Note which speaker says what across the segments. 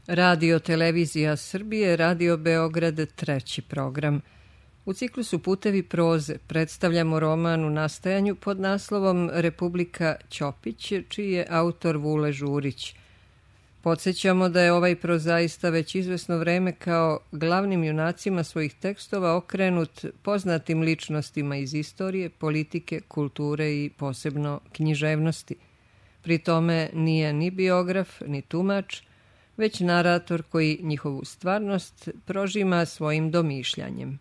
Speaker 1: Radio Televizija Srbije, Radio Beograd, treći program. U ciklusu Putevi proze predstavljamo roman u nastajanju pod naslovom Republika Ćopić, čiji je autor Vule Žurić. Podsjećamo da je ovaj prozaista već izvesno vreme kao glavnim junacima svojih tekstova okrenut poznatim ličnostima iz istorije, politike, kulture i posebno književnosti. Pri tome nije ni biograf, ni tumač, već narator koji njihovu stvarnost prožima svojim domišljanjem.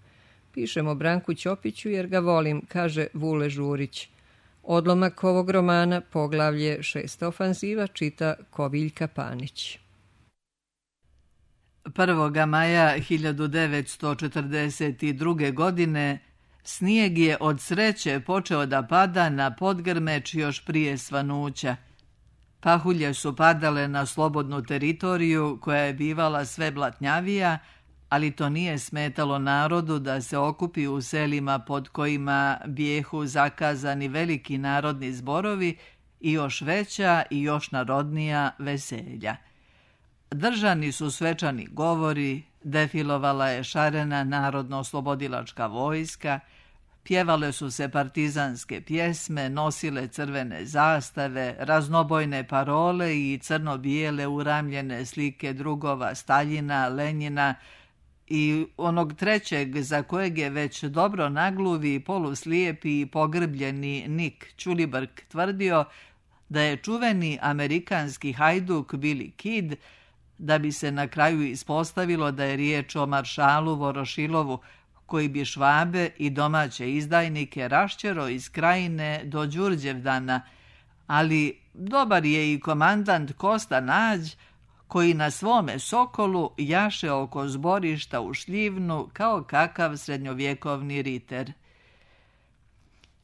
Speaker 1: Pišem o Branku Ćopiću jer ga volim, kaže Vule Žurić. Odlomak ovog romana, poglavlje 6. ofanziva, čita Koviljka Panić.
Speaker 2: 1. maja 1942. godine snijeg je od sreće počeo da pada na Podgrmeć još prije svanuća. Pahulje su padale na slobodnu teritoriju koja je bivala sve blatnjavija, ali to nije smetalo narodu da se okupi u selima pod kojima bijehu zakazani veliki narodni zborovi i još veća i još narodnija veselja. Držani su svečani govori, defilovala je šarena narodno-oslobodilačka vojska, pjevale su se partizanske pjesme, nosile crvene zastave, raznobojne parole i crno-bijele uramljene slike drugova Staljina, Lenjina i onog trećeg za kojeg je već dobro nagluvi, poluslijepi i pogrbljeni Nik Ćulibrk tvrdio da je čuveni amerikanski hajduk Billy Kid, da bi se na kraju ispostavilo da je riječ o maršalu Vorošilovu, koji bi Švabe i domaće izdajnike raščero iz Krajine do Đurđevdana, ali dobar je i komandant Kosta Nađ, koji na svome Sokolu jaše oko zborišta u Šljivnu kao kakav srednjovjekovni riter.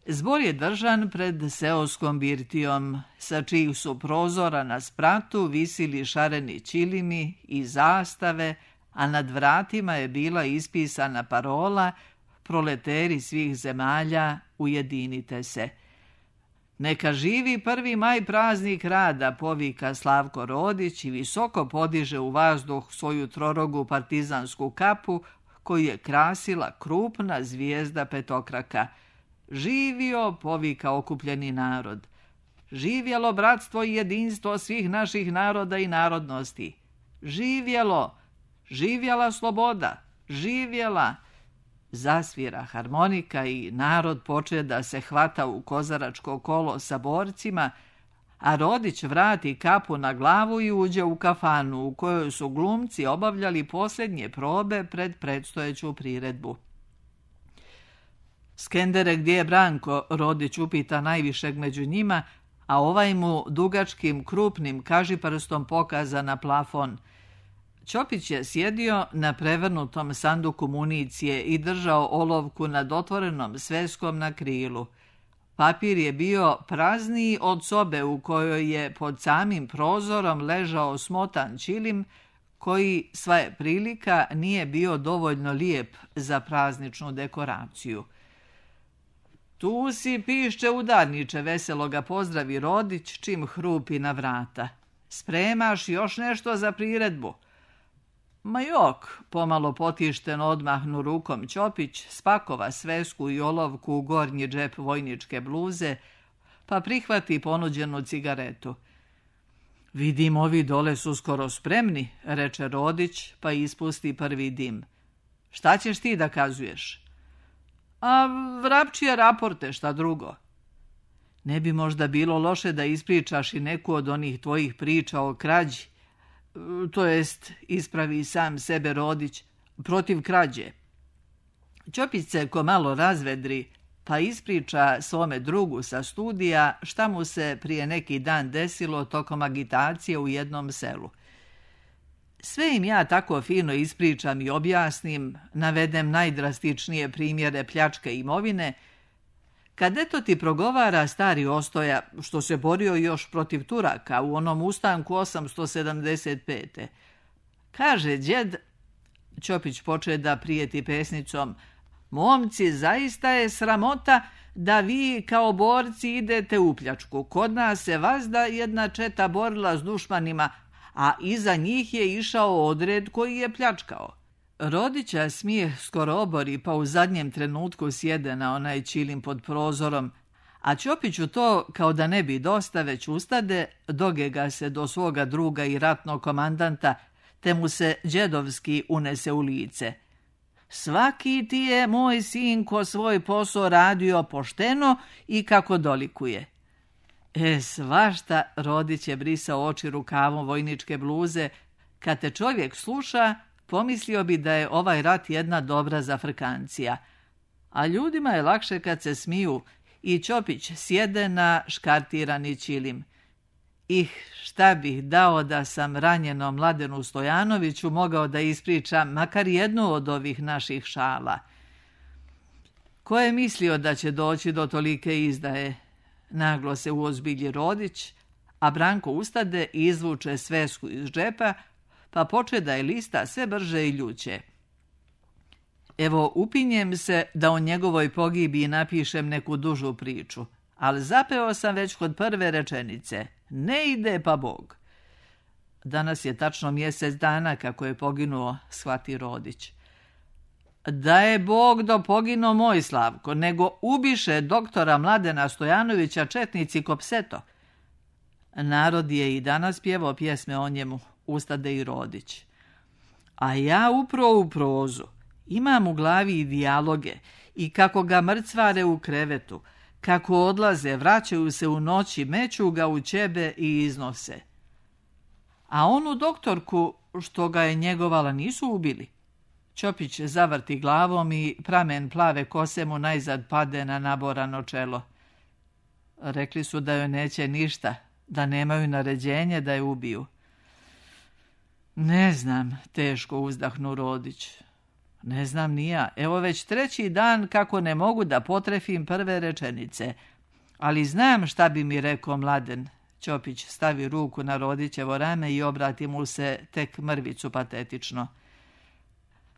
Speaker 2: Zbor je držan pred seoskom birtijom, sa čijih su prozora na spratu visili šareni ćilimi i zastave, a nad vratima je bila ispisana parola proleteri svih zemalja, ujedinite se. Neka živi 1. maj, praznik rada, povika Slavko Rodić i visoko podiže u vazduh svoju trorogu partizansku kapu koju je krasila krupna zvijezda petokraka. Živio, povika okupljeni narod. Živjelo bratstvo i jedinstvo svih naših naroda i narodnosti. Živjelo, živjela sloboda, živjela. Zasvira harmonika i narod poče da se hvata u kozaračko kolo sa borcima, a Rodić vrati kapu na glavu i uđe u kafanu u kojoj su glumci obavljali posljednje probe pred predstojeću priredbu. Skendere, gdje je Branko? Rodić upita najvišeg među njima, a ovaj mu dugačkim, krupnim kažiprstom pokaza na plafon. Ćopić je sjedio na prevrnutom sanduku municije i držao olovku nad otvorenom sveskom na krilu. Papir je bio prazniji od sobe u kojoj je pod samim prozorom ležao smotan ćilim, koji, sva je prilika, nije bio dovoljno lijep za prazničnu dekoraciju. Tu si, pišče udarniče, veselo ga pozdravi Rodić čim hrupi na vrata. Spremaš još nešto za priredbu? Ma jok, pomalo potišteno odmahnu rukom Ćopić, spakova svesku i olovku u gornji džep vojničke bluze, pa prihvati ponuđenu cigaretu. Vidim, ovi dole su skoro spremni, reče Rodić, pa ispusti prvi dim. Šta ćeš ti da kazuješ? A vrapčije raporte, šta drugo? Ne bi možda bilo loše da ispričaš i neku od onih tvojih priča o krađi? To jest, ispravi sam sebe Rodić, protiv krađe. Ćopić se ko malo razvedri, pa ispriča svome drugu sa studija šta mu se prije neki dan desilo tokom agitacije u jednom selu. Sve im ja tako fino ispričam i objasnim, navedem najdrastičnije primjere pljačke imovine, kad eto ti progovara stari Ostoja, što se borio još protiv Turaka u onom ustanku 875. Kaže djed, Ćopić poče da prijeti pesnicom, momci, zaista je sramota da vi kao borci idete u pljačku. Kod nas se vazda jedna četa borila s dušmanima, a iza njih je išao odred koji je pljačkao. Rodića smijeh skoro obori, pa u zadnjem trenutku sjede na onaj ćilim pod prozorom, a Ćopiću to, kao da ne bi dosta, već ustade, dogega se do svoga druga i ratnog komandanta, te mu se đedovski unese u lice. Svaki ti je, moj sinko, svoj posao radio pošteno i kako dolikuje. Svašta, Rodić je brisao oči rukavom vojničke bluze. Kad te čovjek sluša, pomislio bi da je ovaj rat jedna dobra zafrkancija. A ljudima je lakše kad se smiju i Ćopić sjede na škartirani ćilim. Šta bih dao da sam ranjenom Mladenu Stojanoviću mogao da ispričam makar jednu od ovih naših šala. Ko je mislio da će doći do tolike izdaje? Naglo se uozbilji Rodić, a Branko ustade i izvuče svesku iz džepa, pa poče da je lista sve brže i ljuće. Evo, upinjem se da o njegovoj pogibiji napišem neku dužu priču, ali zapeo sam već kod prve rečenice. Ne ide pa Bog. Danas je tačno mjesec dana kako je poginuo, shvati Rodić. Da je Bog do poginuo moj Slavko, nego ubiše doktora Mladena Stojanovića četnici Kopseto. Narod je i danas pjevao pjesme o njemu, ustade i Rodić. A ja upro u prozu. Imam u glavi i dijaloge i kako ga mrcvare u krevetu, kako odlaze, vraćaju se u noći, meću ga u ćebe i iznose. A onu doktorku što ga je njegovala nisu ubili. Ćopić zavrti glavom i pramen plave kose mu najzad pade na naborano čelo. Rekli su da joj neće ništa, da nemaju naređenje da je ubiju. Ne znam, teško uzdahnu Rodić. Ne znam ni ja. Evo već 3. dan kako ne mogu da potrefim prve rečenice. Ali znam šta bi mi rekao Mladen. Ćopić stavi ruku na Rodićevo rame i obrati mu se tek mrvicu patetično.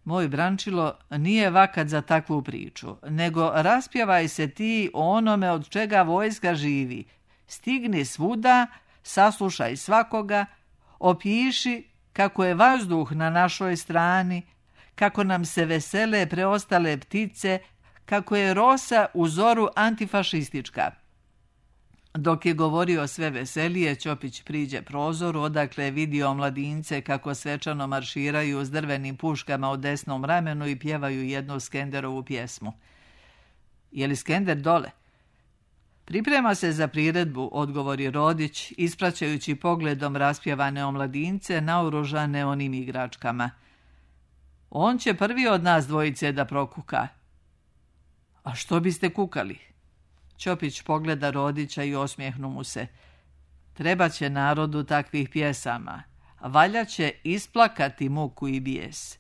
Speaker 2: Moj Brančilo, nije vakat za takvu priču, nego raspjevaj se ti o onome od čega vojska živi. Stigni svuda, saslušaj svakoga, opiši kako je vazduh na našoj strani, kako nam se vesele preostale ptice, kako je rosa u zoru antifašistička. Dok je govorio sve veselije, Ćopić priđe prozoru, odakle je vidio mladince kako svečano marširaju s drvenim puškama u desnom ramenu i pjevaju jednu Skenderovu pjesmu. Je li Skender dole? Priprema se za priredbu, odgovori Rodić, ispraćajući pogledom raspjevane omladince naoružane onim igračkama. On će prvi od nas dvojice da prokuka. A što biste kukali? Ćopić pogleda Rodića i osmijehnu mu se. Treba će narodu takvih pjesama. Valja će isplakati muku i bijes.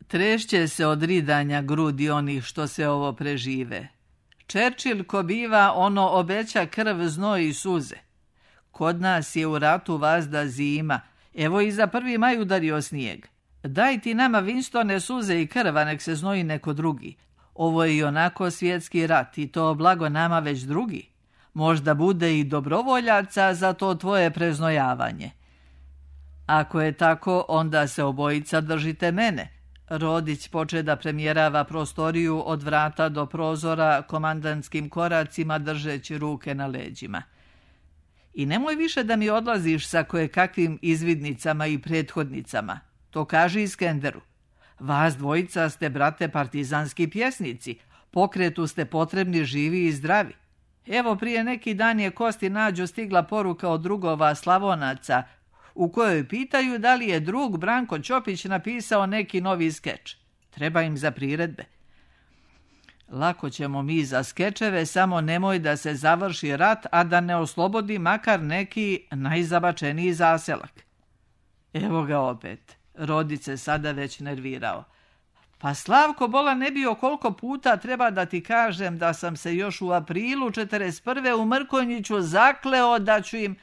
Speaker 2: Trešće se od ridanja grudi onih što se ovo prežive. Churchill ko biva, ono obeća krv, znoj i suze. Kod nas je u ratu vazda zima. Evo i za 1. maj udario snijeg. Daj ti nama, Winstone, suze i krva, nek se znoji neko drugi. Ovo je i onako svjetski rat i to blago nama već drugi. Možda bude i dobrovoljaca za to tvoje preznojavanje. Ako je tako, onda se obojica držite mene. Rodić poče da premjerava prostoriju od vrata do prozora komandantskim koracima držeći ruke na leđima. I nemoj više da mi odlaziš sa kakvim izvidnicama i prethodnicama. To kaži Iskenderu. Vas dvojica ste, brate, partizanski pjesnici. Pokretu ste potrebni živi i zdravi. Evo prije neki dan je Kosti Nađo stigla poruka od drugova Slavonaca u kojoj pitaju da li je drug Branko Ćopić napisao neki novi skeč. Treba im za priredbe. Lako ćemo mi za skečeve, samo nemoj da se završi rat, a da ne oslobodi makar neki najzabačeniji zaselak. Evo ga opet. Rodić se sada već nervirao. Pa Slavko, bola ne bio koliko puta treba da ti kažem da sam se još u aprilu 41. u Mrkonjiću zakleo da ću im...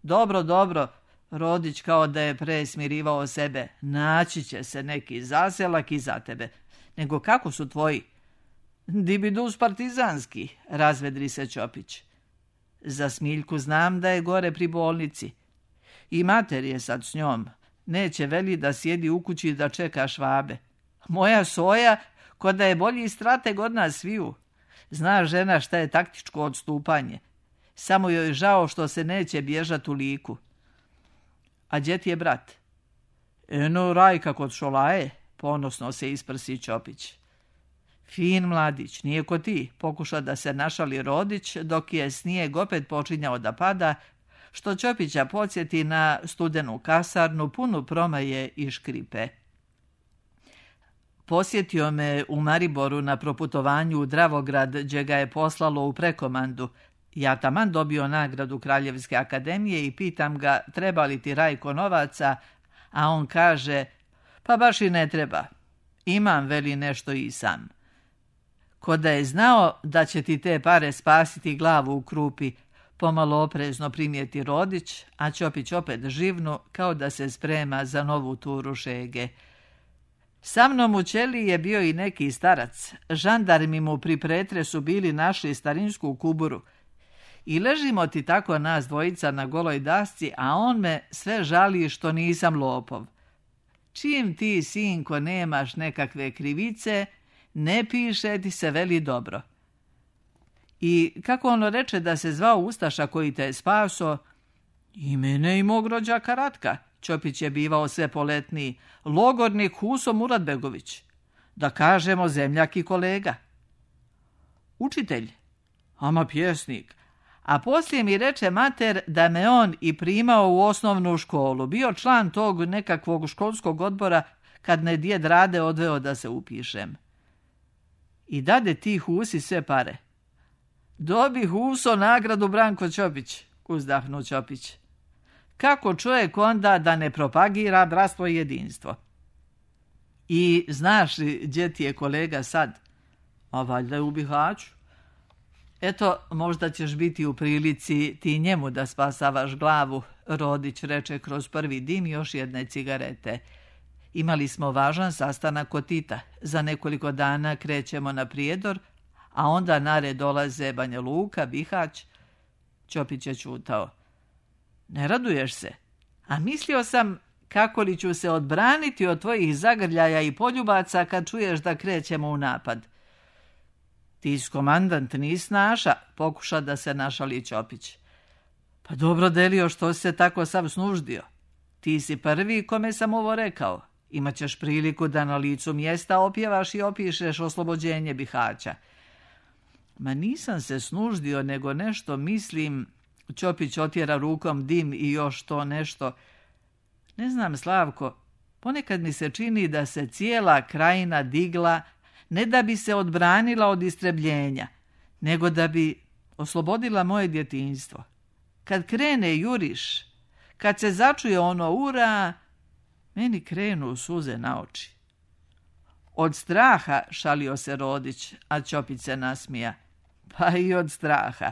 Speaker 2: Dobro, Rodić kao da je presmirivao sebe. Naći će se neki zaselak i za tebe. Nego kako su tvoji? Dibidus partizanski, razvedri se Ćopić. Za Smiljku znam da je gore pri bolnici. I mater je sad s njom. Neće veli da sjedi u kući da čeka Švabe. Moja Soja, ko da je bolji strateg od nas sviju. Zna žena šta je taktičko odstupanje. Samo joj žao što se neće bježat u Liku. A gdje ti je brat? Eno, Rajka kod Šolaje, ponosno se isprsi Ćopić. Fin mladić, nije ko ti, pokuša da se našali Rodić, dok je snijeg opet počinjao da pada, što Ćopića podsjeti na studenu kasarnu, punu promaje i škripe. Posjetio me u Mariboru na proputovanju u Dravograd, gdje ga je poslalo u prekomandu. Ja taman dobio nagradu Kraljevske akademije i pitam ga treba li ti Rajko novaca, a on kaže, pa baš i ne treba. Imam veli nešto i sam. Ko da je znao da će ti te pare spasiti glavu u krupi, pomalo oprezno primijeti Rodić, a Ćopić opet živnu kao da se sprema za novu turu šege. Sa mnom u ćeliji je bio i neki starac. Žandarmi mu pri pretresu bili našli starinsku kuburu. I ležimo ti tako nas dvojica na goloj dasci, a on me sve žali što nisam lopov. Čim ti, sinko, nemaš nekakve krivice, ne piše ti se veli dobro. I kako ono reče da se zvao ustaša koji te je spaso? I mene i mog rođaka Ratka. Ćopić je bivao sve poletniji. Logornik Huso Muratbegović. Da kažemo zemljak i kolega. Učitelj? Ama pjesnik. A poslije mi reče mater da me on i primao u osnovnu školu. Bio član tog nekakvog školskog odbora kad me djed Rade odveo da se upišem. I dade ti Husi sve pare. Dobi Huso nagradu Branko Ćopić, uzdahnu Ćopić. Kako čovjek onda da ne propagira bratstvo i jedinstvo? I znaš li gdje ti je kolega sad? A valjda je u Bihaću. Eto, možda ćeš biti u prilici ti njemu da spasavaš glavu, Rodić reče kroz prvi dim još jedne cigarete. Imali smo važan sastanak kod Tita. Za nekoliko dana krećemo na Prijedor, a onda na red dolaze Banja Luka, Bihać. Ćopić je čutao. Ne raduješ se? A mislio sam kako li ću se odbraniti od tvojih zagrljaja i poljubaca kad čuješ da krećemo u napad. Ti komandant nis naša, pokuša da se našali Ćopić. Pa dobro Delio, što se tako sav snuždio? Ti si prvi kome sam ovo rekao. Imaćeš priliku da na licu mjesta opjevaš i opišeš oslobođenje Bihaća. Ma nisam se snuždio, nego nešto mislim. Ćopić otjera rukom dim i još to nešto. Ne znam, Slavko, ponekad mi se čini da se cijela krajina digla ne da bi se odbranila od istrebljenja, nego da bi oslobodila moje djetinjstvo. Kad krene juriš, kad se začuje ono ura, meni krenu suze na oči. Od straha, šalio se Rodić, a Ćopić se nasmija. Pa i od straha.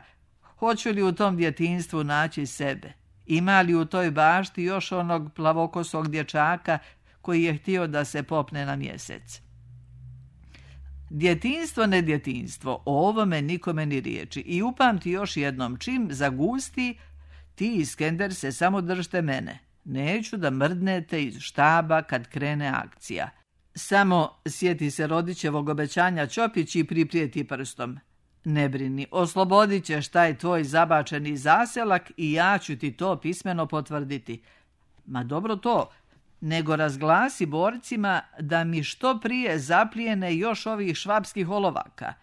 Speaker 2: Hoću li u tom djetinjstvu naći sebe? Ima li u toj bašti još onog plavokosog dječaka koji je htio da se popne na mjesec? Djetinjstvo, ne djetinjstvo, o ovome nikome ni riječi. I upamti još jednom, čim zagusti, ti Iskender se samo držite mene. Neću da mrdnete iz štaba kad krene akcija. Samo sjeti se Rodićevog obećanja Ćopić i priprijeti prstom. Ne brini, oslobodit ćeš taj tvoj zabačeni zaselak i ja ću ti to pismeno potvrditi. Ma dobro to, nego razglasi borcima da mi što prije zaplijene još ovih švapskih olovaka.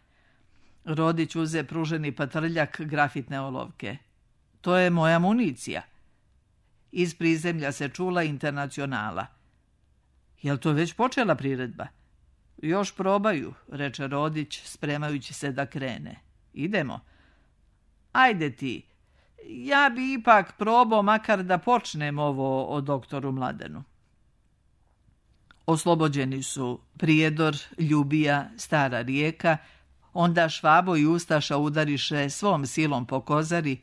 Speaker 2: Rodić uze pruženi patrljak grafitne olovke. To je moja municija. Iz prizemlja se čula Internacionala. Jel to već počela priredba? Još probaju, reče Rodić, spremajući se da krene. Idemo. Ajde ti. Ja bi ipak probao makar da počnem ovo o doktoru Mladenu. Oslobođeni su Prijedor, Ljubija, Stara Rijeka, onda Švabo i Ustaša udariše svom silom po Kozari,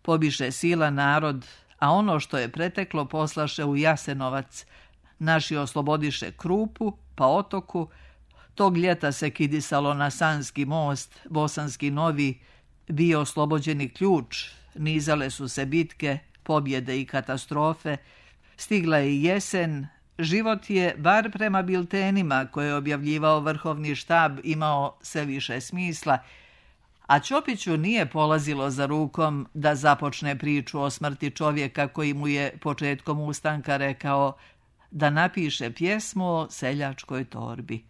Speaker 2: pobiše sila narod, a ono što je preteklo poslaše u Jasenovac. Naši oslobodiše Krupu, pa Otoku. Tog ljeta se kidisalo na Sanski most, Bosanski Novi, bio oslobođeni Ključ, nizale su se bitke, pobjede i katastrofe, stigla je jesen, život je, bar prema biltenima koje je objavljivao vrhovni štab, imao sve više smisla, a Ćopiću nije polazilo za rukom da započne priču o smrti čovjeka koji mu je početkom ustanka rekao da napiše pjesmu o seljačkoj torbi.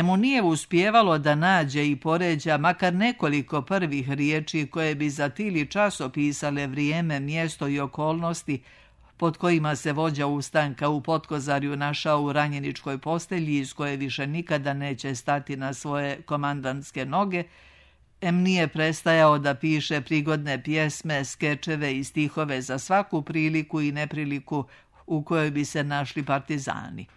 Speaker 2: Mu nije uspijevalo da nađe i poređa makar nekoliko prvih riječi koje bi za tili čas opisale vrijeme, mjesto i okolnosti pod kojima se vođa ustanka u Potkozarju našao u ranjeničkoj postelji iz koje više nikada neće stati na svoje komandantske noge, nije prestajao da piše prigodne pjesme, skečeve i stihove za svaku priliku i nepriliku u kojoj bi se našli partizani.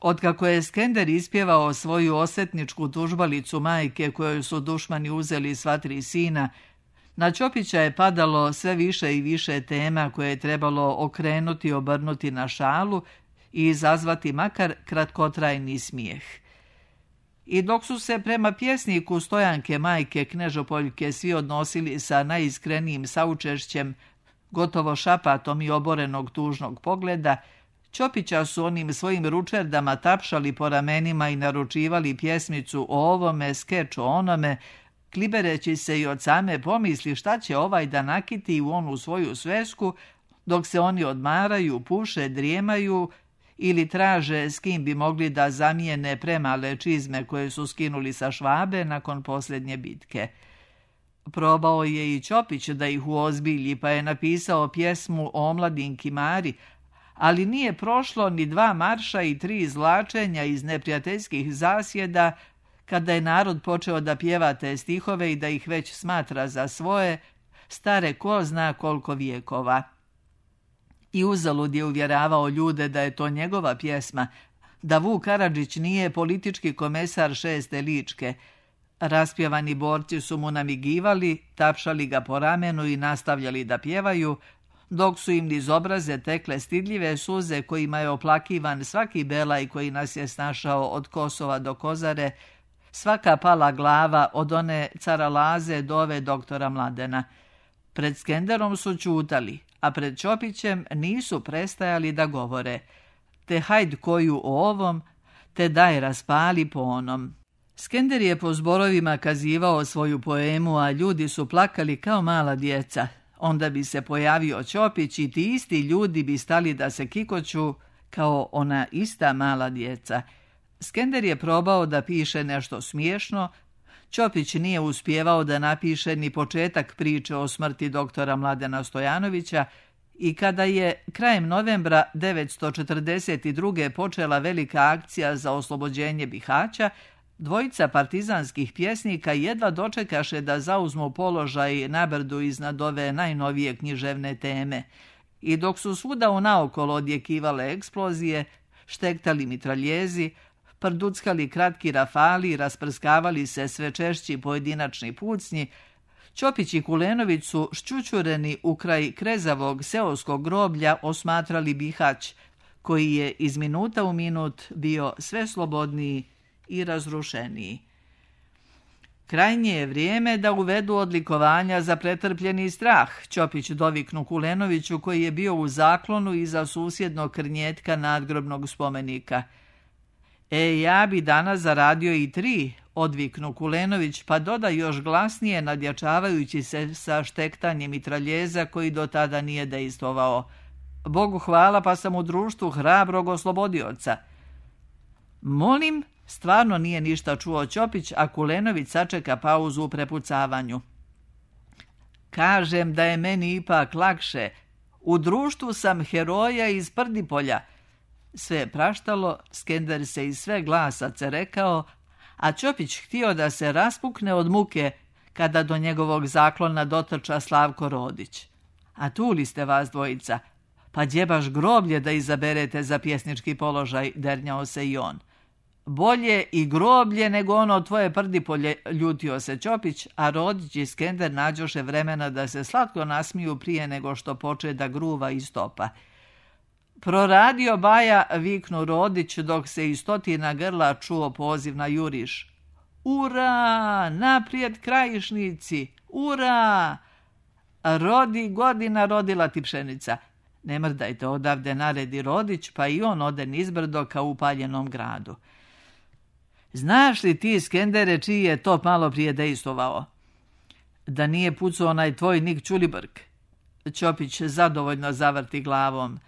Speaker 2: Otkako je Skender ispjevao svoju osvetničku tužbalicu majke kojoj su dušmani uzeli sva 3 sina, na Ćopića je padalo sve više i više tema koje je trebalo okrenuti, obrnuti na šalu i izazvati makar kratkotrajni smijeh. I dok su se prema pjesniku Stojanke majke Knežopoljke svi odnosili sa najiskrenijim saučešćem, gotovo šapatom i oborenog tužnog pogleda, Ćopića su onim svojim ručerdama tapšali po ramenima i naručivali pjesmicu o ovome, skeč o onome, klibereći se i od same pomisli šta će ovaj da nakiti u onu svoju svesku, dok se oni odmaraju, puše, drijemaju ili traže s kim bi mogli da zamijene premale čizme koje su skinuli sa Švabe nakon posljednje bitke. Probao je i Ćopić da ih uozbilji, pa je napisao pjesmu o omladinki Mari, ali nije prošlo ni 2 marša i 3 izvlačenja iz neprijateljskih zasjeda, kada je narod počeo da pjeva te stihove i da ih već smatra za svoje, stare ko zna koliko vijekova. I uzalud je uvjeravao ljude da je to njegova pjesma, da Vuk Karadžić nije politički komesar 6. Ličke. Raspjevani borci su mu namigivali, tapšali ga po ramenu i nastavljali da pjevaju, dok su im niz obraze tekle stidljive suze kojima je oplakivan svaki belaj koji nas je snašao od Kosova do Kozare, svaka pala glava od one cara Laze do ove doktora Mladena. Pred Skenderom su ćutali, a pred Ćopićem nisu prestajali da govore. Te hajd koju o ovom, te daj raspali po onom. Skender je po zborovima kazivao svoju poemu, a ljudi su plakali kao mala djeca. Onda bi se pojavio Ćopić i ti isti ljudi bi stali da se kikoću kao ona ista mala djeca. Skender je probao da piše nešto smiješno, Ćopić nije uspijevao da napiše ni početak priče o smrti doktora Mladena Stojanovića i kada je krajem novembra 1942. počela velika akcija za oslobođenje Bihaća, 2 partizanskih pjesnika jedva dočekaše da zauzmu položaj na brdu iznad ove najnovije književne teme. I dok su svuda unaokolo odjekivale eksplozije, štektali mitraljezi, prduckali kratki rafali i rasprskavali se sve češći pojedinačni pucnji, Ćopić i Kulenović su šćućureni u kraj krezavog seoskog groblja osmatrali Bihać, koji je iz minuta u minut bio sve slobodniji i razrušeniji. Krajnje je vrijeme da uvedu odlikovanja za pretrpljeni strah, Ćopić doviknu Kulenoviću koji je bio u zaklonu iza susjednog krnjetka nadgrobnog spomenika. Ja bi danas zaradio i 3, odviknu Kulenović, pa doda još glasnije nadjačavajući se sa štektanjem mitraljeza koji do tada nije dejstvovao. Bogu hvala pa sam u društvu hrabrog oslobodioca. Molim, stvarno nije ništa čuo Ćopić, a Kulenović sačeka pauzu u prepucavanju. Kažem da je meni ipak lakše. U društvu sam heroja iz Prdipolja. Sve je praštalo, Skender se iz sve glasa cerekao, a Ćopić htio da se raspukne od muke kada do njegovog zaklona dotrča Slavko Rodić. A tu li ste vas dvojica? Pa gdje baš groblje da izaberete za pjesnički položaj, dernjao se i on. Bolje i groblje nego ono tvoje Prdipolje, ljutio se Ćopić, a Rodić i Skender nađoše vremena da se slatko nasmiju prije nego što poče da gruva i stopa. Proradio Baja, viknu Rodić dok se iz stotina grla čuo poziv na juriš. Ura, naprijed krajišnici, ura! Rodi godina rodila ti pšenica. Ne mrdajte, odavde naredi Rodić, pa i on ode nizbrdo ka upaljenom gradu. Znaš li ti, Skendere, čiji je to malo prije dejstvovao? Da nije pucao onaj tvoj Nik Ćulibrk? Ćopić zadovoljno zavrti glavom.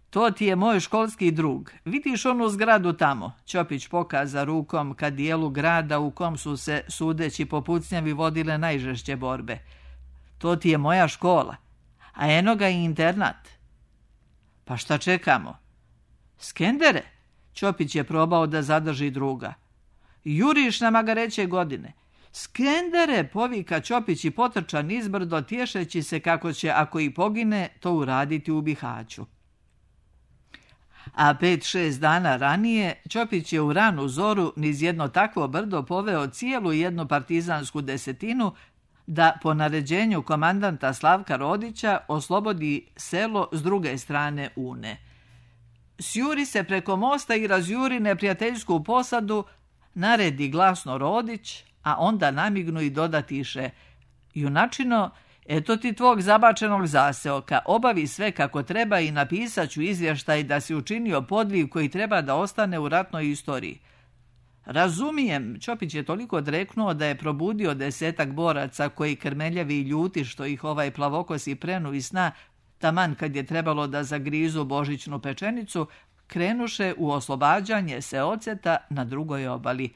Speaker 2: To ti je moj školski drug. Vidiš onu zgradu tamo? Ćopić pokaza rukom ka dijelu grada u kom su se, sudeći po pucnjavi, vodile najžešće borbe. To ti je moja škola, a eno ga i internat. Pa šta čekamo? Skendere, Ćopić je probao da zadrži druga. Juriš na magareće godine. Skendere, povika Ćopić i potrča nizbrdo, tješeći se kako će, ako i pogine, to uraditi u Bihaću. A 5-6 dana ranije Ćopić je u ranu zoru niz jedno takvo brdo poveo cijelu jednu partizansku desetinu da po naređenju komandanta Slavka Rodića oslobodi selo s druge strane Une. Sjuri se preko mosta i razjuri neprijateljsku posadu, naredi glasno Rodić, a onda namignu i dodatiše: junačino, eto ti tvog zabačenog zaseoka, obavi sve kako treba i napisat ću izvještaj da si učinio podviv koji treba da ostane u ratnoj istoriji. Razumijem, Ćopić je toliko dreknuo da je probudio 10 boraca koji, krmeljavi i ljuti što ih ovaj plavokosi prenu iz sna, taman kad je trebalo da zagrizu božićnu pečenicu, krenuše u oslobađanje seoceta na drugoj obali.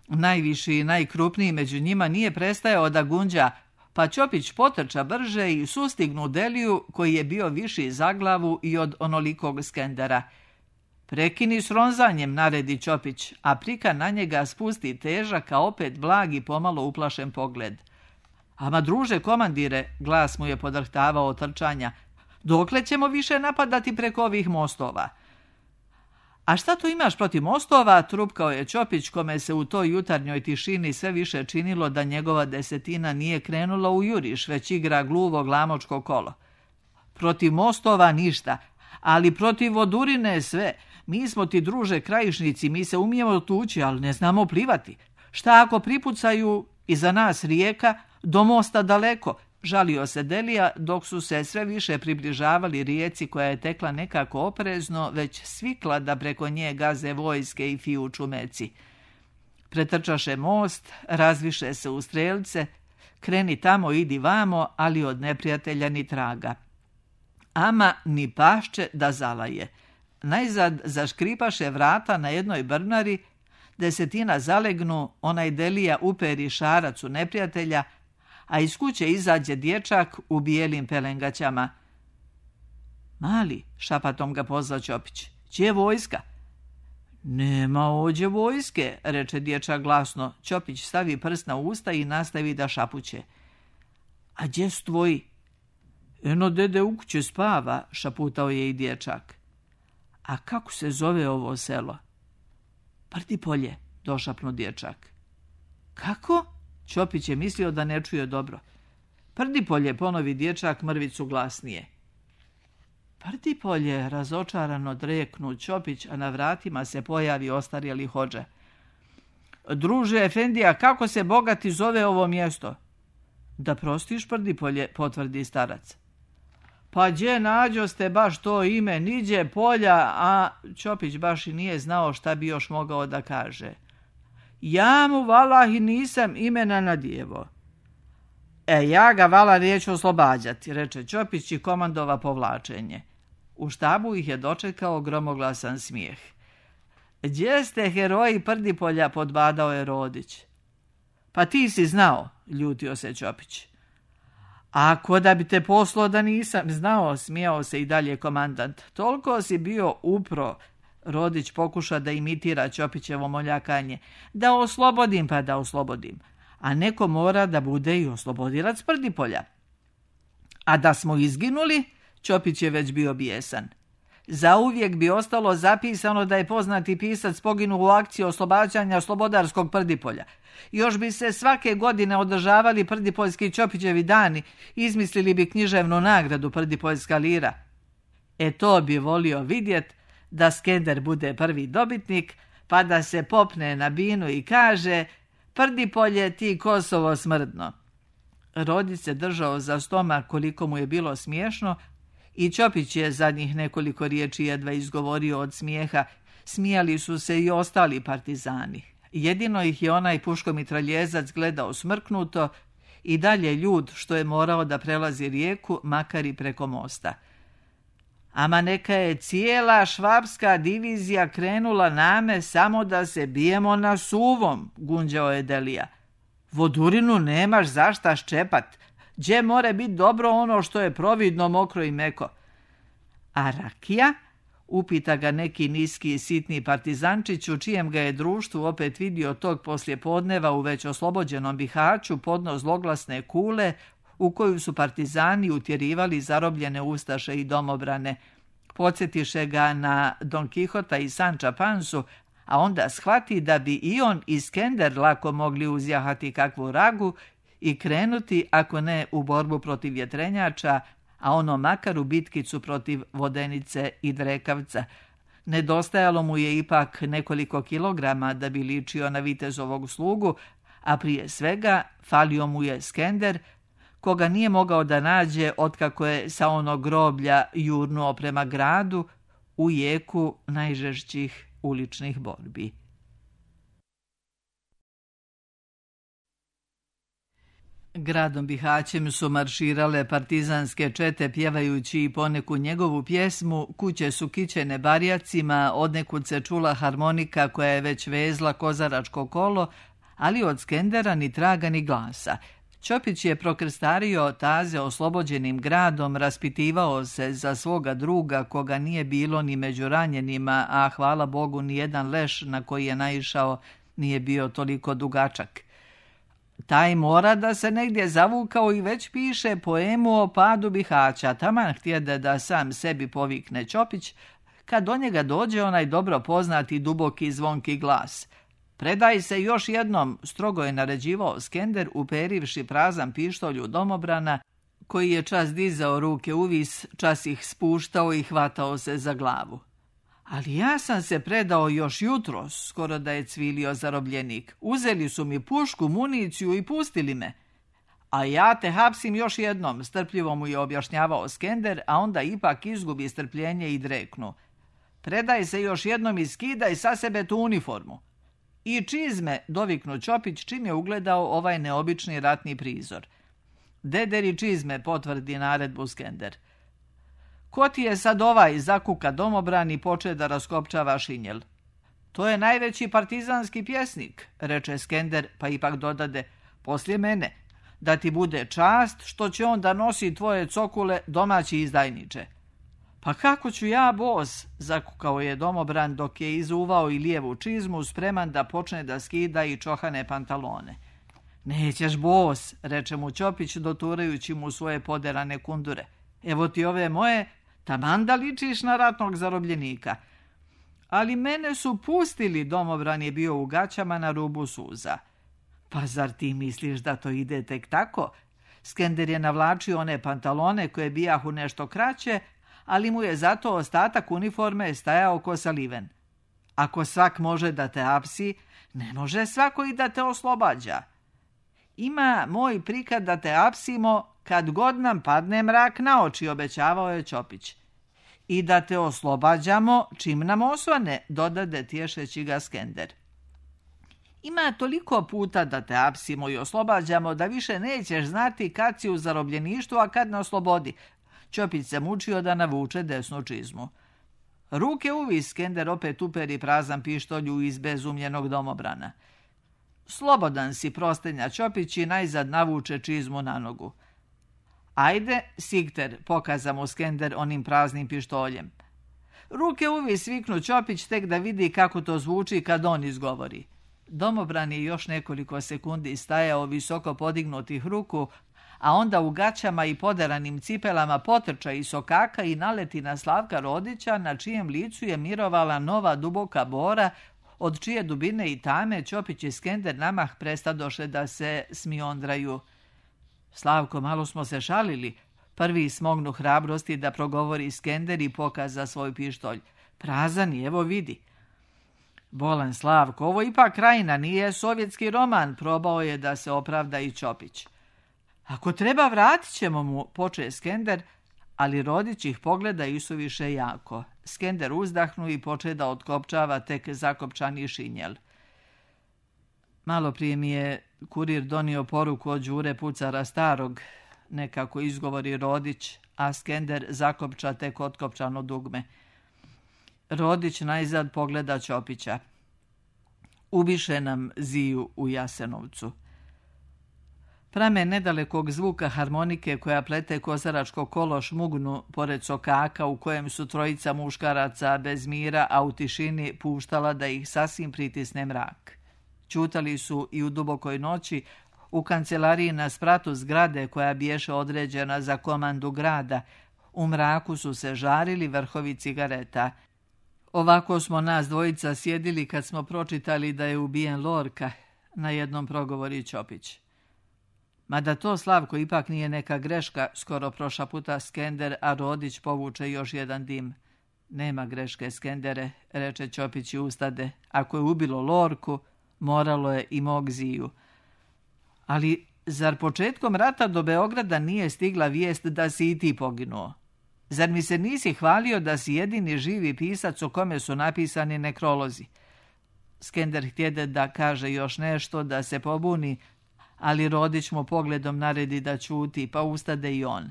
Speaker 2: Najviši i najkrupniji među njima nije prestajao da gunđa, pa Ćopić potrča brže i sustignu Deliju, koji je bio viši za glavu i od onolikog Skendera. Prekini s ronzanjem, naredi Ćopić, a prika na njega spusti težak, a opet blag i pomalo uplašen pogled. Ama druže komandire, glas mu je podrhtavao od trčanja, dokle ćemo više napadati preko ovih mostova? A šta tu imaš protiv mostova? Trupkao je Ćopić, kome se u toj jutarnjoj tišini sve više činilo da njegova desetina nije krenula u juriš, već igra gluvo glamočko kolo. Protiv mostova ništa, ali protiv vodurine sve. Mi smo ti, druže, krajišnici, mi se umijemo tući, ali ne znamo plivati. Šta ako pripucaju iza nas rijeka, do mosta daleko? Žalio se Delija, dok su se sve više približavali rijeci koja je tekla nekako oprezno, već svikla da preko nje gaze vojske i fijuču meci. Pretrčaše most, razviše se u strelce, kreni tamo, idi vamo, ali od neprijatelja ni traga. Ama ni pašće da zalaje. Najzad zaškripaše vrata na jednoj brnari, desetina zalegnu, onaj Delija uperi šarac u neprijatelja, a iz kuće izađe dječak u bijelim pelengaćama. Mali, šapatom ga pozva Ćopić, gdje je vojska? Nema ođe vojske, reče dječak glasno. Ćopić stavi prst na usta i nastavi da šapuće. A gdje su tvoji? Eno, dede u kuće spava, šaputao je i dječak. A kako se zove ovo selo? Prdipolje, došapnu dječak. Kako? Ćopić je mislio da ne čuje dobro. Prdipolje, ponovi dječak mrvicu glasnije. Prdipolje, razočarano dreknu Ćopić, a na vratima se pojavi ostarjeli hodže. Druže Efendija, kako se bogati zove ovo mjesto? Da prostiš, Prdipolje, potvrdi starac. Pa gdje nađoste baš to ime, niđe polja, a Ćopić baš i nije znao šta bi još mogao da kaže. Ja mu valahi nisam imena nadjevo. Ja ga vala neću oslobađati, reče Ćopić i komandova povlačenje. U štabu ih je dočekao gromoglasan smijeh. Gdje ste heroji Prdipolja, podbadao je Rodić. Pa ti si znao, ljutio se Ćopić. Ako da bi te poslao da nisam znao, smijao se i dalje komandant. Toliko si bio upro, Rodić pokuša da imitira Ćopićevo moljakanje. Da oslobodim, pa da oslobodim. A neko mora da bude i oslobodilac Prdipolja. A da smo izginuli, Ćopić je već bio bijesan. Zauvijek bi ostalo zapisano da je poznati pisac poginuo u akciji oslobađanja slobodarskog Prdipolja. Još bi se svake godine održavali Prdipoljski Ćopićevi dani, izmislili bi književnu nagradu Prdipoljska lira. To bi volio vidjet, da Skender bude prvi dobitnik, pa da se popne na binu i kaže: Prdipolje, ti Kosovo smrdno. Rodić se držao za stomak koliko mu je bilo smiješno i Ćopić je zadnjih nekoliko riječi jedva izgovorio od smijeha. Smijali su se i ostali partizani. Jedino ih je onaj puškomitraljezac gledao smrknuto i dalje ljud što je morao da prelazi rijeku, makar i preko mosta. Ama neka je cijela švapska divizija krenula name samo da se bijemo na suvom, gunđao je Delija. Vodurinu nemaš zašta ščepat. Gdje more biti dobro ono što je providno, mokro i meko? A rakija? Upita ga neki niski i sitni partizančić u čijem ga je društvu opet vidio tog poslijepodneva u već oslobođenom Bihaću podno zloglasne kule u koju su partizani utjerivali zarobljene ustaše i domobrane. Podsjetiše ga na Don Kihota i Sanča Pansu, a onda shvati da bi i on i Skender lako mogli uzjahati kakvu ragu i krenuti, ako ne u borbu protiv vjetrenjača, a ono makar u bitkicu protiv Vodenice i Drekavca. Nedostajalo mu je ipak nekoliko kilograma da bi ličio na vitezovog slugu, a prije svega falio mu je Skender, koga nije mogao da nađe otkako je sa onog groblja jurnuo prema gradu u jeku najžešćih uličnih borbi. Gradom Bihaćem su marširale partizanske čete pjevajući i poneku njegovu pjesmu, kuće su kićene barjacima, odnekud se čula harmonika koja je već vezla kozaračko kolo, ali od Skendera ni traga ni glasa. Ćopić je prokrstario taze oslobođenim gradom, raspitivao se za svoga druga koga nije bilo ni među ranjenima, a hvala Bogu ni jedan leš na koji je naišao nije bio toliko dugačak. Taj mora da se negdje zavukao i već piše poemu o padu Bihaća, taman htjede da sam sebi povikne Ćopić, kad do njega dođe onaj dobro poznati duboki zvonki glas. Predaj se još jednom, strogo je naređivao Skender, uperivši prazan pištolj u domobrana, koji je čas dizao ruke uvis, čas ih spuštao i hvatao se za glavu. Ali ja sam se predao još jutros, skoro da je cvilio zarobljenik. Uzeli su mi pušku, municiju i pustili me. A ja te hapsim još jednom, strpljivo mu je objašnjavao Skender, a onda ipak izgubi strpljenje i dreknu. Predaj se još jednom i skidaj sa sebe tu uniformu. I čizme, doviknu Ćopić čim je ugledao ovaj neobični ratni prizor. Dederi čizme, potvrdi naredbu Skender. Ko ti je sad ovaj, zakuka domobran i poče da raskopčava šinjel? To je najveći partizanski pjesnik, reče Skender, pa ipak dodade, poslije mene, da ti bude čast što će on da nosi tvoje cokule, domaći izdajniče. Pa kako ću ja, bos, zakukao je domobran dok je izuvao i lijevu čizmu, spreman da počne da skida i čohane pantalone. Nećeš, bos, reče mu Ćopić, doturajući mu svoje poderane kundure. Evo ti ove moje, taman da ličiš na ratnog zarobljenika. Ali mene su pustili, domobran je bio u gaćama na rubu suza. Pa zar ti misliš da to ide tek tako? Skender je navlačio one pantalone koje bijahu nešto kraće, ali mu je zato ostatak uniforme stajao ko saliven. Ako svak može da te apsi, ne može svako i da te oslobađa. Ima moj prikad da te apsimo kad god nam padne mrak na oči, obećavao je Ćopić. I da te oslobađamo čim nam osvane, dodade tješeći ga Skender. Ima toliko puta da te apsimo i oslobađamo da više nećeš znati kad si u zarobljeništvu, a kad na oslobodi. Ćopić se mučio da navuče desnu čizmu. Ruke uvis, Skender opet uperi prazan pištolju iz bezumljenog domobrana. Slobodan si, prostenja Ćopić i najzad navuče čizmu na nogu. Ajde, Sigter, pokaza mu Skender onim praznim pištoljem. Ruke uvis, viknu Ćopić tek da vidi kako to zvuči kad on izgovori. Domobran je još nekoliko sekundi stajao visoko podignutih ruku, a onda u gaćama i poderanim cipelama potrča i sokaka i naleti na Slavka Rodića, na čijem licu je mirovala nova duboka bora, od čije dubine i tame Ćopić i Skender namah prestadoše da se smiondraju. Slavko, malo smo se šalili. Prvi smognu hrabrosti da progovori Skender i pokaza svoj pištolj. Prazan je, evo vidi. Bolan Slavko, ovo ipak krajina, nije sovjetski roman, probao je da se opravda i Ćopić. Ako treba, vratit ćemo mu, poče Skender, ali Rodić ih pogleda isuviše jako. Skender uzdahnu i poče da otkopčava tek zakopčani šinjel. Malo prije mi je kurir donio poruku od Đure Pucara starog, nekako izgovori Rodić, a Skender zakopča tek otkopčano dugme. Rodić najzad pogleda Ćopića. Ubiše nam Ziju u Jasenovcu. Prame nedalekog zvuka harmonike koja plete kozaračko kolo šmugnu pored sokaka u kojem su trojica muškaraca bez mira, a u tišini puštala da ih sasvim pritisne mrak. Ćutali su i u dubokoj noći u kancelariji na spratu zgrade koja biješe određena za komandu grada. U mraku su se žarili vrhovi cigareta. Ovako smo nas dvojica sjedili kad smo pročitali da je ubijen Lorka, na jednom progovori Ćopić. Mada to, Slavko, ipak nije neka greška, skoro prošaputa Skender, a Rodić povuče još jedan dim. Nema greške, Skendere, reče Ćopić i ustade. Ako je ubilo Lorku, moralo je i mog Ziju. Ali zar početkom rata do Beograda nije stigla vijest da si i ti poginuo? Zar mi se nisi hvalio da si jedini živi pisac o kome su napisani nekrolozi? Skender htjede da kaže još nešto, da se pobuni, ali Rodić mu pogledom naredi da ćuti, pa ustade i on.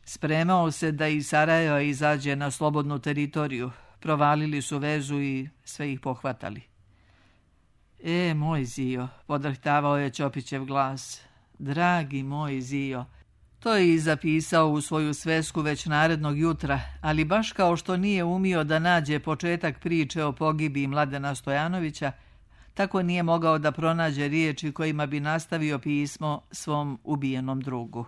Speaker 2: Spremao se da iz Sarajeva izađe na slobodnu teritoriju. Provalili su vezu i sve ih pohvatali. Moj Zio, podrhtavao je Ćopićev glas. Dragi moj Zio. To je i zapisao u svoju svesku već narednog jutra, ali baš kao što nije umio da nađe početak priče o pogibiji Mladena Stojanovića, tako nije mogao da pronađe riječi kojima bi nastavio pismo svom ubijenom drugu.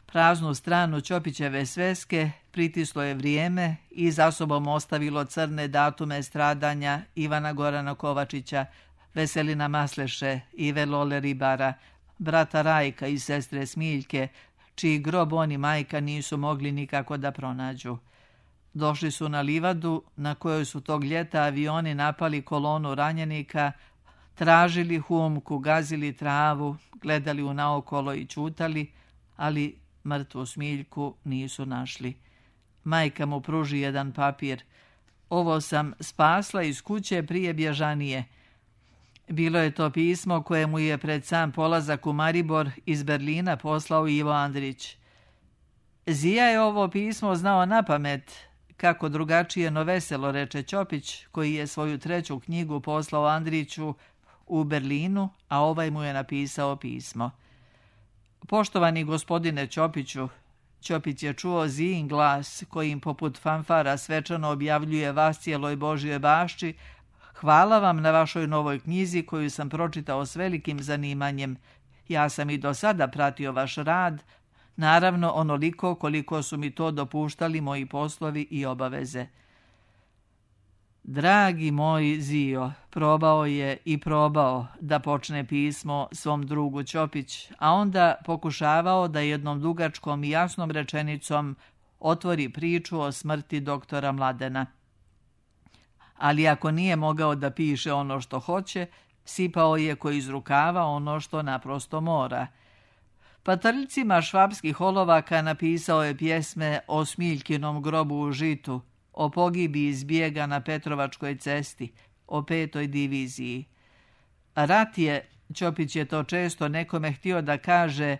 Speaker 2: Praznu stranu Ćopićeve sveske pritislo je vrijeme i za sobom ostavilo crne datume stradanja Ivana Gorana Kovačića, Veselina Masleše, Ive Lole Ribara, brata Rajka i sestre Smiljke, čiji grob on i majka nisu mogli nikako da pronađu. Došli su na livadu na kojoj su tog ljeta avioni napali kolonu ranjenika, tražili humku, gazili travu, gledali u naokolo i ćutali, ali mrtvu Smiljku nisu našli. Majka mu pruži jedan papir. Ovo sam spasla iz kuće prije bježanije. Bilo je to pismo koje mu je pred sam polazak u Maribor iz Berlina poslao Ivo Andrić. Zija je ovo pismo znao napamet, kako drugačije no veselo, reče Ćopić, koji je svoju treću knjigu poslao Andriću u Berlinu, a ovaj mu je napisao pismo. Poštovani gospodine Ćopiću, Ćopić je čuo Zijin glas, kojim poput fanfara svečano objavljuje vas cijeloj Božjoj bašči. Hvala vam na vašoj novoj knjizi koju sam pročitao s velikim zanimanjem. Ja sam i do sada pratio vaš rad, naravno onoliko koliko su mi to dopuštali moji poslovi i obaveze. Dragi moj Zio, probao je i probao da počne pismo svom drugu Ćopić, a onda pokušavao da jednom dugačkom i jasnom rečenicom otvori priču o smrti doktora Mladena. Ali ako nije mogao da piše ono što hoće, sipao je ko iz rukava ono što naprosto mora. Patrljcima švapskih olovaka napisao je pjesme o Smiljkinom grobu u Žitu, o pogibiji zbjega na Petrovačkoj cesti, o 5. diviziji. Rat je, Ćopić je to često nekome htio da kaže,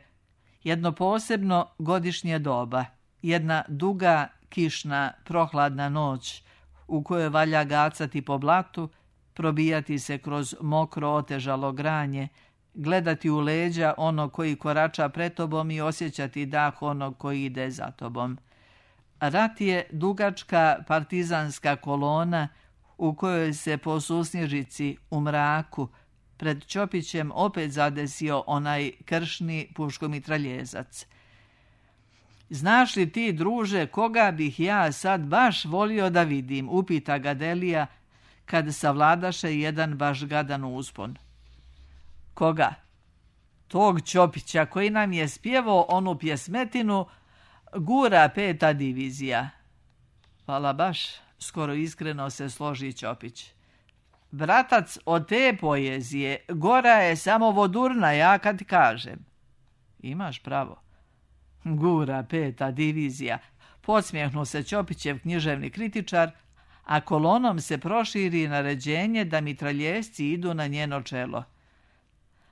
Speaker 2: jedno posebno godišnje doba, jedna duga, kišna, prohladna noć, u kojoj valja gacati po blatu, probijati se kroz mokro otežalo granje, gledati u leđa ono koji korača pred tobom i osjećati dah onog koji ide za tobom. Rat je dugačka partizanska kolona u kojoj se po susnježici u mraku pred Ćopićem opet zadesio onaj kršni puškomitraljezac. Znaš li ti, druže, koga bih ja sad baš volio da vidim, upita ga Delija, kad savladaše jedan baš gadan uspon. Koga? Tog Ćopića koji nam je spjevao onu pjesmetinu Gura 5. divizija. Hvala baš, skoro iskreno se složi Ćopić. Bratac, od te poezije gora je samo vodurna, ja kad kažem. Imaš pravo. Gura 5. divizija. Podsmjehnu se Ćopićev književni kritičar, a kolonom se proširi naređenje da mitraljesci idu na njeno čelo.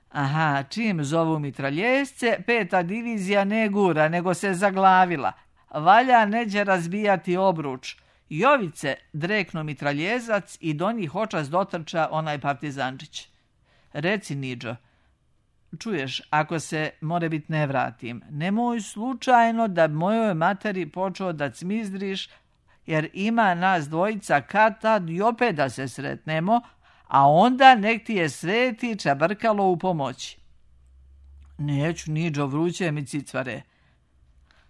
Speaker 2: Aha, čim zovu mitraljesce, 5. divizija ne gura, nego se zaglavila. Valja neđe razbijati obruč. Jovice dreknu mitraljezac i do njih očas dotrča onaj partizančić. Reci, Niđo, čuješ, ako se, more bit, ne vratim, nemoj slučajno da mojoj materi počeo da cmizdriš, jer ima nas dvojica kad tad i opet da se sretnemo, a onda nek ti je sveti čabrkalo u pomoći. Neću, Niđo, vruće mi cicvare.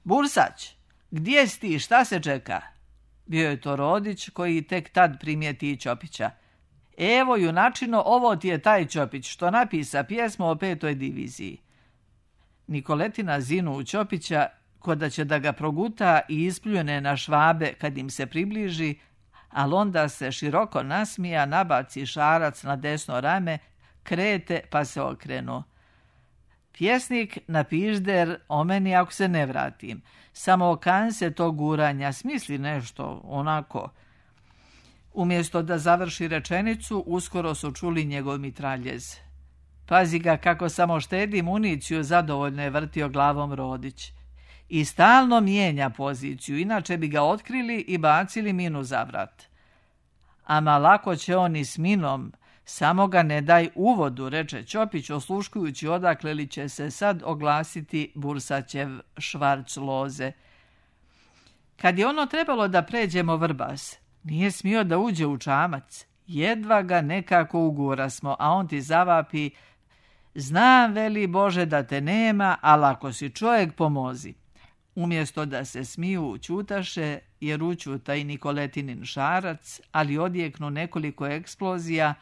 Speaker 2: Bursać, gdje si ti, šta se čeka? Bio je to Rodić koji tek tad primijeti Ćopića. Evo, junačino, ovo ti je taj Ćopić što napisa pjesmu o 5. diviziji. Nikoletina zinu u Ćopića, ko da će da ga proguta i ispljune na Švabe kad im se približi, ali onda se široko nasmija, nabaci šarac na desno rame, krete pa se okrenu. Pjesnik napižder o meni ako se ne vratim. Samo okan se to guranja, smisli nešto onako. Umjesto da završi rečenicu, uskoro su čuli njegov mitraljez. Pazi ga kako samo štedi municiju, zadovoljno je vrtio glavom Rodić. I stalno mijenja poziciju, inače bi ga otkrili i bacili minu za vrat. Ama lako će on i s minom, samo ga ne daj uvodu, reče Ćopić, osluškujući odakle li će se sad oglasiti Bursaćev švarc loze. Kad je ono trebalo da pređemo Vrbas, nije smio da uđe u čamac. Jedva ga nekako ugurasmo, a on ti zavapi: znam, veli Bože, da te nema, ali ako si čovjek, pomozi. Umjesto da se smiju, ćutaše, jer učuta i Nikoletinin šarac, ali odjeknu nekoliko eksplozija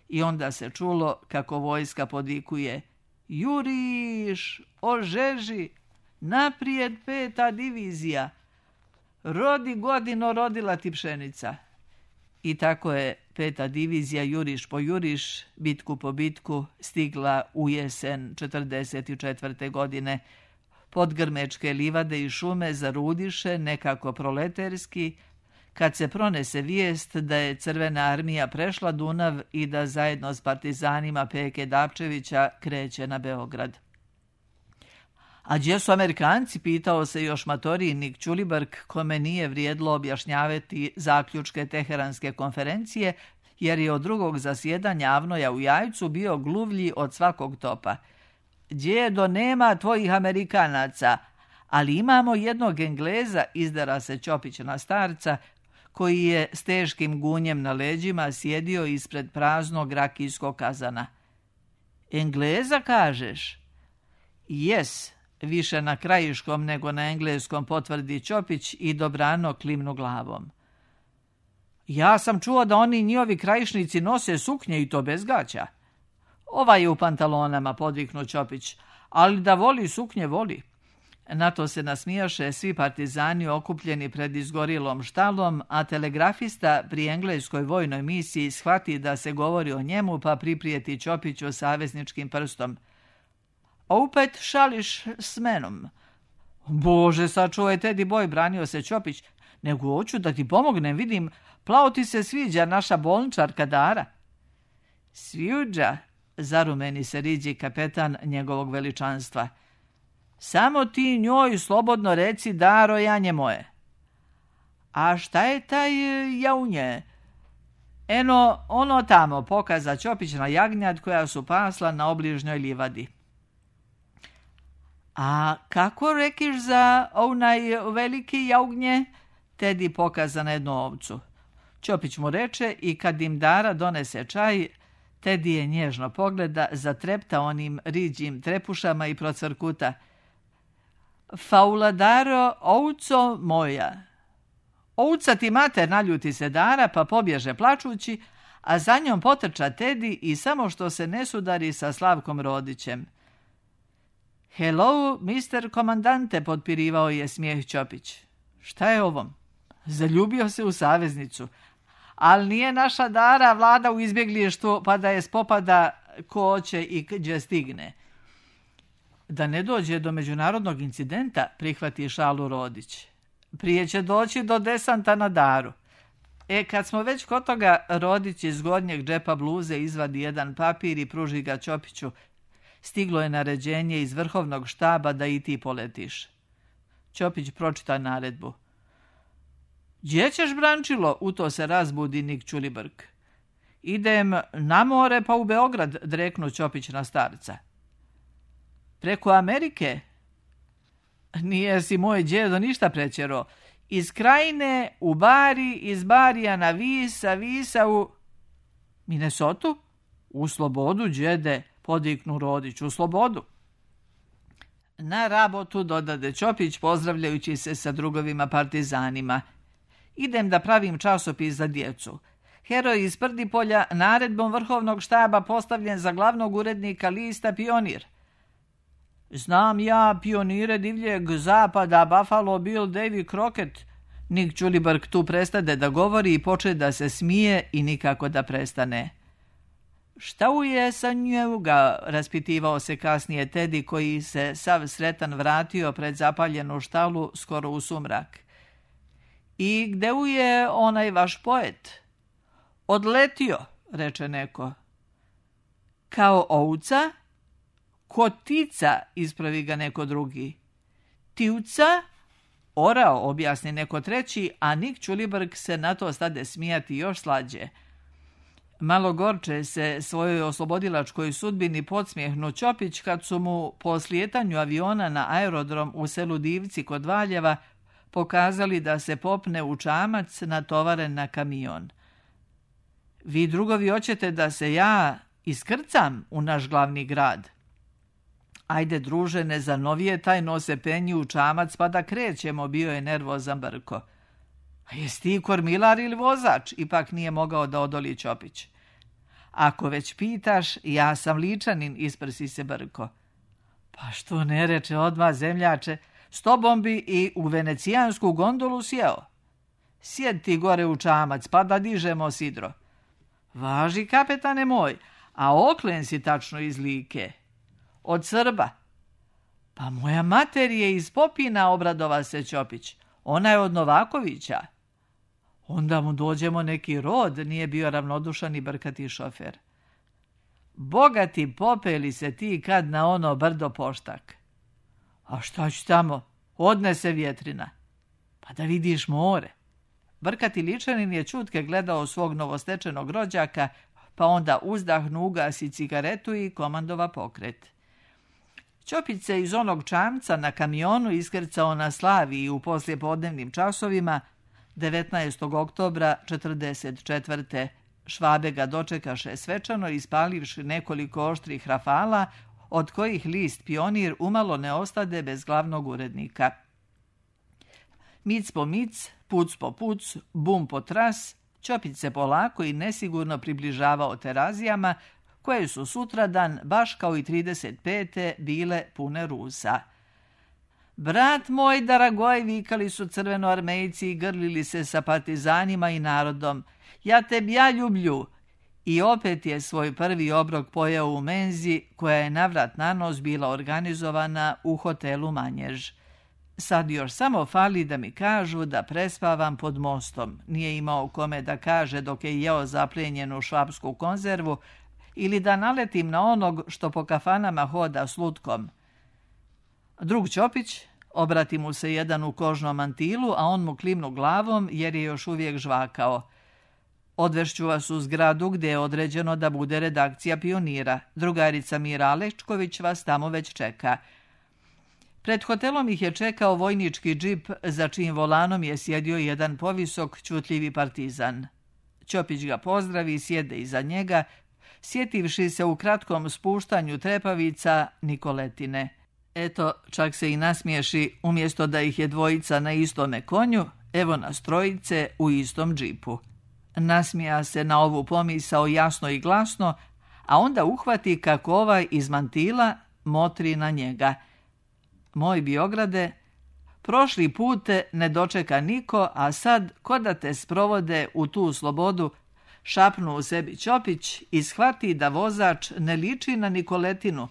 Speaker 2: i onda se čulo kako vojska podvikuje: juriš, ožeži, naprijed 5. divizija, rodi godino rodila ti pšenica. I tako je 5. divizija juriš po juriš, bitku po bitku, stigla u jesen 44. godine. Pod grmečke livade i šume zarudiše nekako proleterski, kad se pronese vijest da je Crvena armija prešla Dunav i da zajedno s partizanima Peke Dapčevića kreće na Beograd. A gdje su Amerikanci, pitao se još matorijnik Ćulibrk, kome nije vrijedlo objašnjavati zaključke Teheranske konferencije, jer je od drugog zasjedanja Avnoja u Jajcu bio gluvlji od svakog topa. Djedo, nema tvojih Amerikanaca, ali imamo jednog Engleza, izdara se Ćopić na starca, koji je s teškim gunjem na leđima sjedio ispred praznog rakijskog kazana. Engleza, kažeš? Jes, više na krajiškom nego na engleskom, potvrdi Ćopić i dobrano klimnu glavom. Ja sam čuo da oni njihovi krajišnici nose suknje i to bez gaća. Ovaj je u pantalonama, podviknu Ćopić, ali da voli suknje, voli. Na to se nasmijaše svi partizani okupljeni pred izgorilom štalom, a telegrafista pri engleskoj vojnoj misiji shvati da se govori o njemu, pa priprijeti Ćopiću savezničkim prstom. Opet šališ s menom. Bože, sačuvaj, Tedi boj, branio se Ćopić, nego hoću da ti pomognem, vidim, plavo ti se sviđa naša bolničarka Dara. Sviđa, zarumeni se riđi kapetan njegovog veličanstva. Samo ti njoj slobodno reci, Daro, janje moje. A šta je taj jaunje? Eno, ono tamo, pokaza Ćopić na jagnjad koja su pasla na obližnjoj livadi. A kako rekiš za onaj veliki jagnje? Tedi pokaza na jednu ovcu. Ćopić mu reče i kad im Dara donese čaj, Tedi je nježno pogleda, zatrepta onim riđim trepušama i procvrkuta. Faula Daro, ovco moja. Ovca ti mater, naljuti se Dara, pa pobježe plačući, a za njom potrča Tedi i samo što se ne sudari sa Slavkom Rodićem. Hello, mister komandante, potpirivao je smijeh Ćopić. Šta je ovom? Zaljubio se u saveznicu. Ali nije naša Dara vlada u izbjeglištvu, pa da je spopada ko će i gdje stigne. Da ne dođe do međunarodnog incidenta, prihvati šalu Rodić. Prije će doći do desanta na Daru. Kad smo već kod toga, Rodić iz gornjeg džepa bluze izvadi jedan papir i pruži ga Ćopiću. Stiglo je naređenje iz vrhovnog štaba da i ti poletiš. Ćopić pročita naredbu. Gdje ćeš, Brančilo? U to se razbudi Nik Ćulibrk. Idem na more pa u Beograd, dreknu Ćopić na starca. Preko Amerike? Nije si moj djedo ništa prećero. Iz Krajine u Bari, iz Barija na Vis, a Visa u Minnesotu? U slobodu, djede, podiknu Rodić, u slobodu. Na rabotu, dodade Ćopić, pozdravljajući se sa drugovima partizanima. Idem da pravim časopis za djecu. Heroj iz Prdipolja naredbom vrhovnog štaba postavljen za glavnog urednika lista Pionir. Znam ja pionire divljeg zapada, Buffalo Bill, Davy Crockett. Nik Ćulibrk tu prestade da govori i poče da se smije i nikako da prestane. Šta je sa njega, raspitivao se kasnije Tedi, koji se sav sretan vratio pred zapaljenu štalu skoro u sumrak. I gde je onaj vaš poet? Odletio, reče neko. Kao ovca? Kotica, ispravi ga neko drugi. Tivca? Orao, objasni neko treći, a Nik Ćulibrk se na to stade smijati još slađe. Malo gorče se svojoj oslobodilačkoj sudbini podsmjehnu Ćopić kad su mu po slijetanju aviona na aerodrom u selu Divci kod Valjeva pokazali da se popne u čamac natovaren na kamion. Vi drugovi hoćete da se ja iskrcam u naš glavni grad? Ajde, druže, ne zanovije taj nose penji u čamac pa da krećemo, bio je nervozan Brko. A jesi ti kormilar ili vozač? Ipak nije mogao da odoli Ćopić. Ako već pitaš, ja sam Ličanin, isprsi se Brko. Pa što ne reče odmah zemljače, s tobom bi i u venecijansku gondolu sjeo. Sjed ti gore u čamac, pa da dižemo sidro. Važi, kapetane moj, a oklen si tačno iz Like. Od Srba. Pa moja mater je iz Popina, obradova se Ćopić. Ona je od Novakovića. Onda mu dođemo neki rod, nije bio ravnodušan i brkati šofer. Bogati popeli se ti kad na ono brdo Poštak. A šta ću tamo? Odnese vjetrina. Pa da vidiš more. Brkati Ličanin je čutke gledao svog novostečenog rođaka, pa onda uzdahnu, ugasi cigaretu i komandova pokret. Ćopić se iz onog čamca na kamionu iskrcao na Slaviji u poslijepodnevnim časovima 19. oktobra 1944. Švabe ga dočekaše svečano ispalivši nekoliko oštrih rafala, od kojih list Pionir umalo ne ostade bez glavnog urednika. Mic po mic, puc po puc, bum po tras, Ćopić se polako i nesigurno približavao Terazijama, koje su sutradan, baš kao i 35. bile pune Rusa. Brat moj Daragoj, vikali su crvenoarmejci i grlili se sa partizanima i narodom. Ja tebi ja ljublju. I opet je svoj prvi obrok pojeo u menzi, koja je navrat na nos bila organizovana u hotelu Manjež. Sad još samo fali da mi kažu da prespavam pod mostom. Nije imao kome da kaže dok je jeo zapljenjenu švapsku konzervu, ili da naletim na onog što po kafanama hoda s lutkom. Drug Ćopić, obrati mu se jedan u kožnom mantilu, a on mu klimnu glavom jer je još uvijek žvakao. Odvešću vas u zgradu gdje je određeno da bude redakcija Pionira. Drugarica Mira Alečković vas tamo već čeka. Pred hotelom ih je čekao vojnički džip, za čijim volanom je sjedio jedan povisok, čutljivi partizan. Ćopić ga pozdravi i sjede iza njega, sjetivši se u kratkom spuštanju trepavica Nikoletine. Eto, čak se i nasmiješi, umjesto da ih je dvojica na istome konju, evo nas trojice u istom džipu. Nasmija se na ovu pomisao jasno i glasno, a onda uhvati kako ovaj iz mantila motri na njega. Moj Biograde, prošli put ne dočeka niko, a sad ko da te sprovode u tu slobodu, šapnu u sebi Ćopić i shvati da vozač ne liči na Nikoletinu,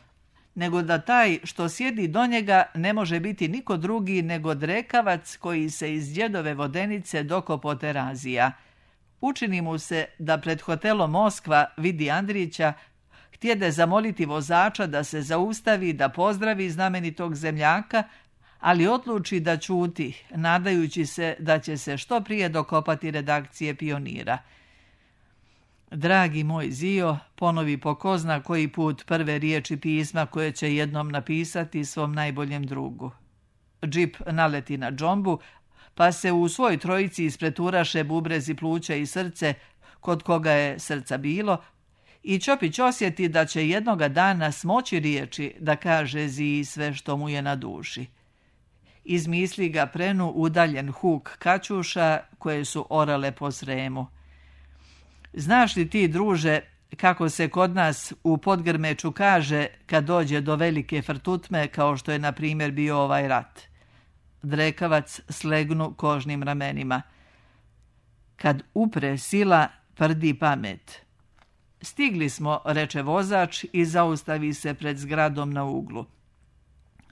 Speaker 2: nego da taj što sjedi do njega ne može biti niko drugi nego drekavac koji se iz djedove vodenice dokopo Terazija. Učini mu se da pred hotelom Moskva vidi Andrića, htjede zamoliti vozača da se zaustavi, da pozdravi znamenitog zemljaka, ali odluči da ćuti, nadajući se da će se što prije dokopati redakcije Pionira. Dragi moj Zio, ponovi po ko zna koji put prve riječi pisma koje će jednom napisati svom najboljem drugu. Džip naleti na džombu, pa se u svoj trojici ispreturaše bubrezi, pluća i srce, kod koga je srca bilo, i Ćopić osjeti da će jednoga dana smoći riječi da kaže Ziji sve što mu je na duši. Iz misli ga prenu udaljen huk kaćuša koje su orale po Sremu. Znaš li ti, druže, kako se kod nas u Podgrmeču kaže kad dođe do velike frtutme kao što je na primjer bio ovaj rat? Drekavac slegnu kožnim ramenima. Kad upre sila, prdi pamet. Stigli smo, reče vozač i zaustavi se pred zgradom na uglu.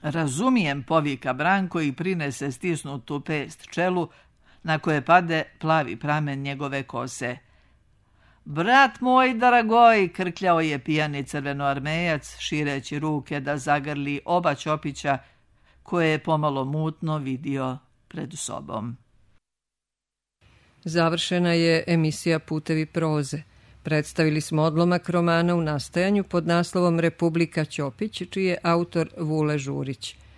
Speaker 2: Razumijem, povika Branko i prinese stisnutu pest čelu na koje pade plavi pramen njegove kose. Brat moj dragoj, krkljao je pijani crvenoarmejac, šireći ruke da zagrli oba Ćopića, koje je pomalo mutno vidio pred sobom.
Speaker 1: Završena je emisija Putevi proze. Predstavili smo odlomak romana u nastajanju pod naslovom Republika Ćopić, čiji je autor Vule Žurić.